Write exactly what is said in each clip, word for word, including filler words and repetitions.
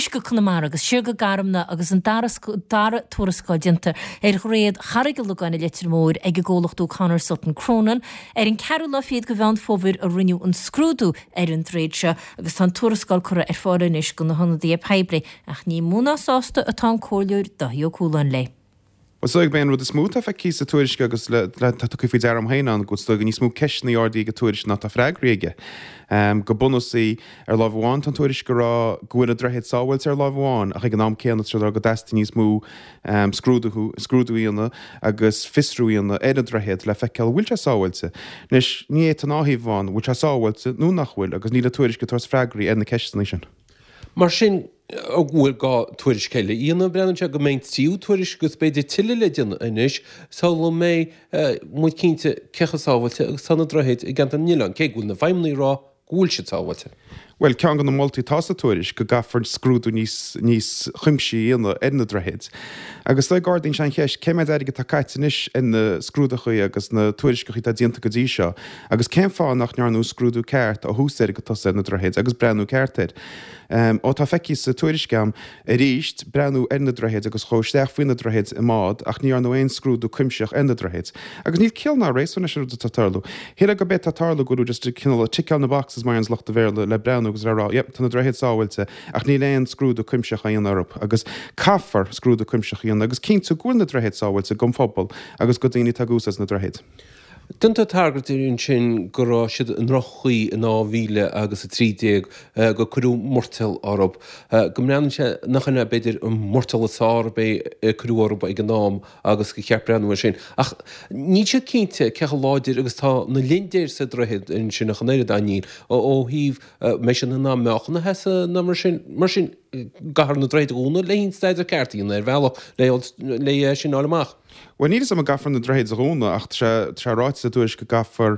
Anois go Conamara agus siar go Garmna agus an dara dara tuarascáil déanta ar dhroichead Charraig an Logáin i Leitir Móir ag an gcomhlacht O'Connor Sutton Cronin ar an ceathrú lá fichead de Mheán Fómhair a rinneadh an scrúdú ar an droichead seo agus tá an tuarascáil curtha ar fáil anois do na hionadaithe poiblí ach ní mó ná sásta atá an Comhairleoir Dáithí Ó Cualáin léi. Is dóigh an rud is mó atá feicthe sa tuairisc agus le tá tú faoi deara féin an go bhfuil níos mó ceisteanna ardaithe ag an tuairisc ná tá freagraí aige. Um, go bunúsach ar lámh amháin tá an tuairisc ag rá go bhfuil an droichead sábháilte ar lámh amháin ach ag an am céanna tá go dteastaíonn níos mó um, scrúdú scrúdú a dhéanamh agus fiosrú a dhéanamh ar an droichead le feiceáil bhfuil sé sábháilte. Anois ní é an thaobh amháin bhfuil sé sábháilte nó nach bhfuil agus níl an tuairisc ag tabhairt freagraí ar na ceisteanna sin. Mar sin an bhfuil gá tuairisc eile a dhéanamh breathnaíonn sé go mbeidh tríú tuairisc agus b'fhéidir tuilleadh le déanamh anois sula mbeidh muid cinnte cé chomh sábháilte agus tá na droichid i gceantar na nOileán, cé go bhfuil na feidhmeannaigh ag rá go bhfuil siad sábháilte. Well ceann de na moltaí atá sa tuairisc go gcaithfear scrúdú níos níos cuimsithí a dhéanamh ar na droichid. Agus le ardaíonn sé an cheist cé mhéad airgead atá caite anois ar na scrúduithe agus na tuairisceacha atá déanta go dtí seo, agus cén fáth nach ndearnadh scrúdú ceart ó thús deireadh go tosaigh ar na droichid agus breathnú ceart air. Um, ó tá feicthe sa tuairisc agam arís breathnú ar na droichid agus chuaigh isteach faoi na droichid i mbád ach ní dhearnadh aon scrúdú cuimsitheach ar na droichid. Agus níl ciall ná réasún leis an rud atá tarlú. Shíl go b'é tá tarlú go just cineál tickeáil na boxes mar an lucht Béarla le breathnú agus le rá, yep, tá na droichid sábháilte ach níl aon scrúdú cuimsitheach á dhéanamh orthu agus caithfear scrúdú cuimsitheach a dhéanamh agus cinntiú go bhfuil na droichid sábháilte don phobal agus do dhaoine atá ag úsáid na droichid. Déantar tagairt ansin go raibh siad i ndroch-chaoi in dhá mhíle agus a trí déag gur cuireadh murtall orthu. Go mbreathnaíonn sé nach ina b'fhéidir an murtall is fearr a b'é cuireadh orthu ag an am agus gur cheart breathnú air sin. Ach níl siad cinnte cé chomh láidir agus tá na lindéir sa droichead ansin ach an oiread níl ó thaobh mbeidh siad in ann meáchan a sheasamh nó mar sin mar sin caithfear na droichid a dhúnadh le haon staidéar ceart a dhéanamh ar bhealach le le sin a fháil amach. Well níl a fhios agam an gcaithfear na droichid a dhúnadh ach tá ráite sa tuairisc go gcaithfear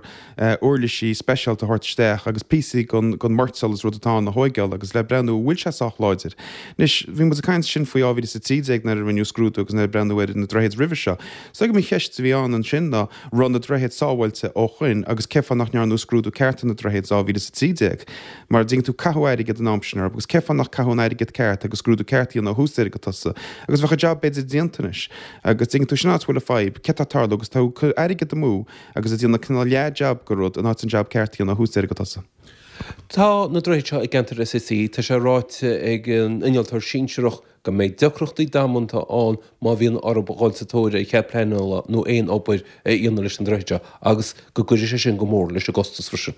uirlisí speisialta a thabhairt isteach agus píosaí den den mhurtall is rud atá ann a thógáil agus le breathnú bhfuil sé sách láidir. Anois bhí muid ag caint sin faoi dhá mhíle is a trí déag nuair a rinneadh scrúdú agus nuair a breathnú ar na droichid roimhe seo. So go an cheist a bhí ann ansin ná raibh na droichid sábháilte ó shoin agus cén fáth nach ndearnadh scrúdú ceart ar na droichid dhá mhíle is a trí déag. Mar dtuigeann tú caitheadh airgead an am sin orthu agus cén fáth nach caitheadh an airgead ceart agus scrúdú ceart a dhéanamh ó thús deireadh go tosaigh agus bheadh an job b'fhéidir déanta anois agus dtuigeann tú sin áit bhfuil an fhadhb cé tá tarlú agus tá airgead amú agus a déanamh cineál leath-job go rud in áit an job ceart a dhéanamh ó thús deireadh go tosaigh. Tá na droichid seo i gceantar SAC, tá sé ráite ag an innealtóir sinsearach go mbeidh deacrachtaí damanta ann má bhíonn orthu dhul sa tóir ar chead pleanála nó aon obair a dhéanamh leis an droichead seo agus go gcuirfidh sé sin go mór leis an gcostas freisin.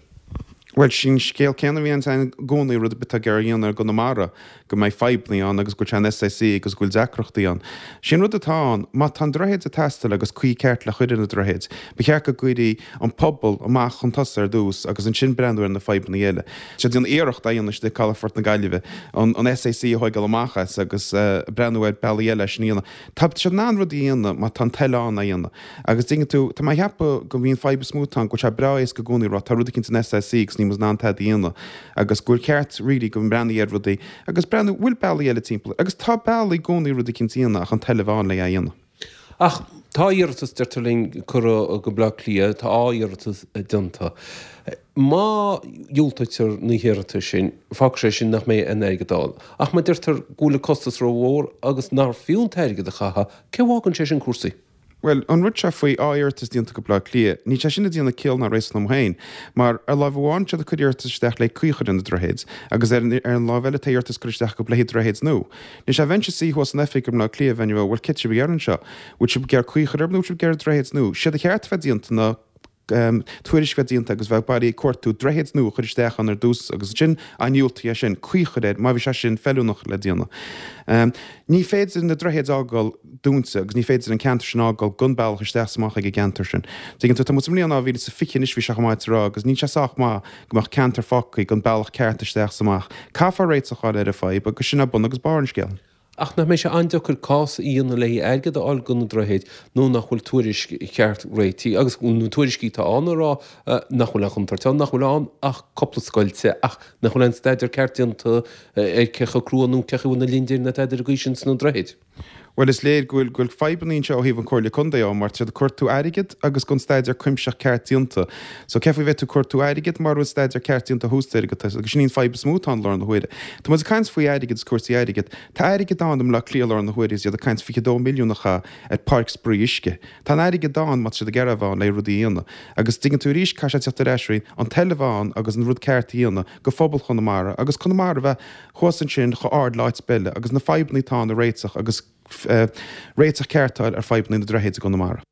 Well sin scéal céanna bhí an gcónaí rud atá ag dhéanamh ar Chonamara go mbeidh fadhbanna ann agus go bhfuil sé an SAC agus go bhfuil deacrachtaí ann. Sin rud atá ann, má tá an droichead ag teastáil agus caoi ceart le cur ar na droichid, ba cheart go gcuirfí an pobal amach chun tosaigh ar dtús agus ansin breathnú ar na fadhbanna eile. Sé déanamh iarracht a dhéanamh istigh Calafort na Gaillimhe an, an SAC a thógáil amach as agus uh, breathnú ar bealaí eile sin dhéanamh. Tá sé in ann rud a dhéanamh má tá an toil ann a dhéanamh. Agus dtuigeann tú tá mé ag ceapadh go mbíonn fadhb is mó atá go bhfuil sé breá éasca i gcónaí rá tá rud éicint an SAC agus ní ná an tada dhéanamh agus gur ceart really go mbreathnaí ar rudaí agus breathnú bhfuil bealaí eile timpeall agus tá bealaí i gcónaí rud éicint a dhéanamh ach an toil a bheith ann le a dhéanamh. Ach tá iarratas deirtear linn curtha go Bleá Cliath tá iarratas déanta. Má dhiúltaítear na hiarratais sin fágfaidh sé sin nach mbeidh an airgead ann. Ach má deirtear go bhfuil an costas rómhór agus nár fiú an t-airgead a chaitheamh, cé bhfágann sé sin cúrsaí? Well, an rud seo faoi á iarratas déanta go Bleá Cliath, ní sé sin a déanamh ciall ná réasún liom féin, mar ar lámh amháin siad ag cur iarratas isteach le caoi a chur ar na droichid, agus ar, ar an lámh eile tá iarratas cur isteach go bleithí droichid nua. Ní sé bheinnse suí thuas san oifig go Bleá Cliath bheinn bhfuil cé sibh ag anseo, bhfuil sibh ag iarraidh caoi a chur orthu nó sibh ag iarraidh droichid nua. Siad a cheart bheith déanta ná um, tuairisc bheith déanta agus bheith bailí cuartú droichid nua a chur isteach ann ar dtús agus sin an diúltaí é sin caoi a chur air má bhí sé sin feiliúnach le déanamh. Um, ní féidir na droichid a fhágáil dúnta agus ní féidir an ceantar sin a fhágáil gan bealach isteach is amach ag an gceantar sin. Tuigeann tú tá muid sa mbliain dhá mhíle is fiche anois bhí sé chomh maith rá agus ní sé sách maith go mbeadh ceantar fágtha gan bealach ceart isteach is amach. Caithfear réiteach a fháil ar an fhadhb agus sin é bun agus barr an scéil. Ach nach mbeidh sé an-deacair cás a dhéanamh le airgead a fháil do na droichid nó nach bhfuil tuairisc cheart réitithe agus na tuairiscí atá ann ag rá nach bhfuil aon chontúirt ann, nach bhfuil ann ach cúpla scoilt ach nach bhfuil aon staidéar ceart déanta ar cé chomh crua nó cé chomh na lindéir na tada ar an gcaoi sin sna droichid. Bhuel is léir go bhfuil go bhfuil fadhbanna anseo ó thaobh an Comhairle Contae ó mar tá siad ag cuartú airgead agus gan staidéar cuimsitheach ceart déanta. So cé faoi bheith tú cuartú airgead mura bhfuil staidéar ceart déanta thuas agat agus sin í an fadhb is mó atá ann i láthair na huaire. Tá muid ag caint faoi airgead is cúrsaí airgead. Tá airgead ann i mBleá Cliath i láthair na huaire is iad ag caint fiche dó milliún a chaitheamh ar páirc spraoi uisce. Tá an airgead ann má tá siad ag iarraidh a bheith ann le rudaí a dhéanamh. Agus tuigeann tú arís caithfidh sé teacht ar ais orainn an toil a bheith ann agus an rud ceart a dhéanamh go phobal Chonamara agus Conamara a bheith thuas ansin chomh ard le áit ar bith eile agus na fadhbanna atá ann a réiteach agus réiteach ceart a fháil ar fadhbanna na droichid i gConamara.